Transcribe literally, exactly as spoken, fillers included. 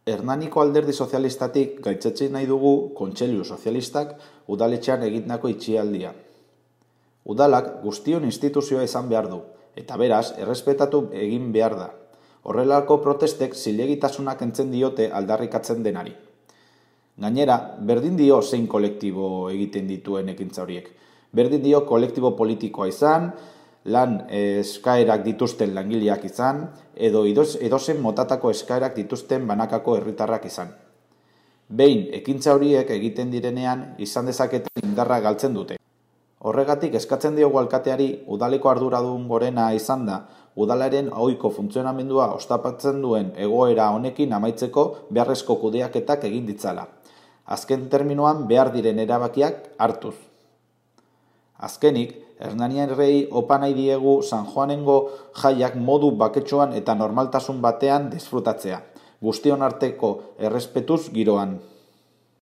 Hernaniko Alderdi Sozialistatik gaitzetsi nahi dugu Kontseilu Sozialistak udaletxean egindako itxialdia. Udalak guztion instituzioa izan behar du, eta beraz, errespetatu egin behar da. Horrelako protestek zilegitasunak entzen diote aldarrikatzen denari. Gainera, berdin dio zein kolektibo egiten dituen ekintza horiek. Berdin dio kolektibo politikoa izan, lan eskaerak dituzten langileak izan, edo edozen motatako eskaerak dituzten banakako herritarrak izan. Behin, ekintza horiek egiten direnean, izan dezaketen indarra galtzen dute. Horregatik eskatzen diogu alkateari udaleko arduradun gorena izan da, udalaren ohiko funtzionamendua ostapatzen duen egoera honekin amaitzeko beharrezko kudeaketak egin ditzala. Azken terminoan behar diren erabakiak hartuz. Azkenik, Hernaniarrei opa nahi diegu San Juanengo jaiak modu baketsuan eta normaltasun batean disfrutatzea, guztion arteko errespetuz giroan.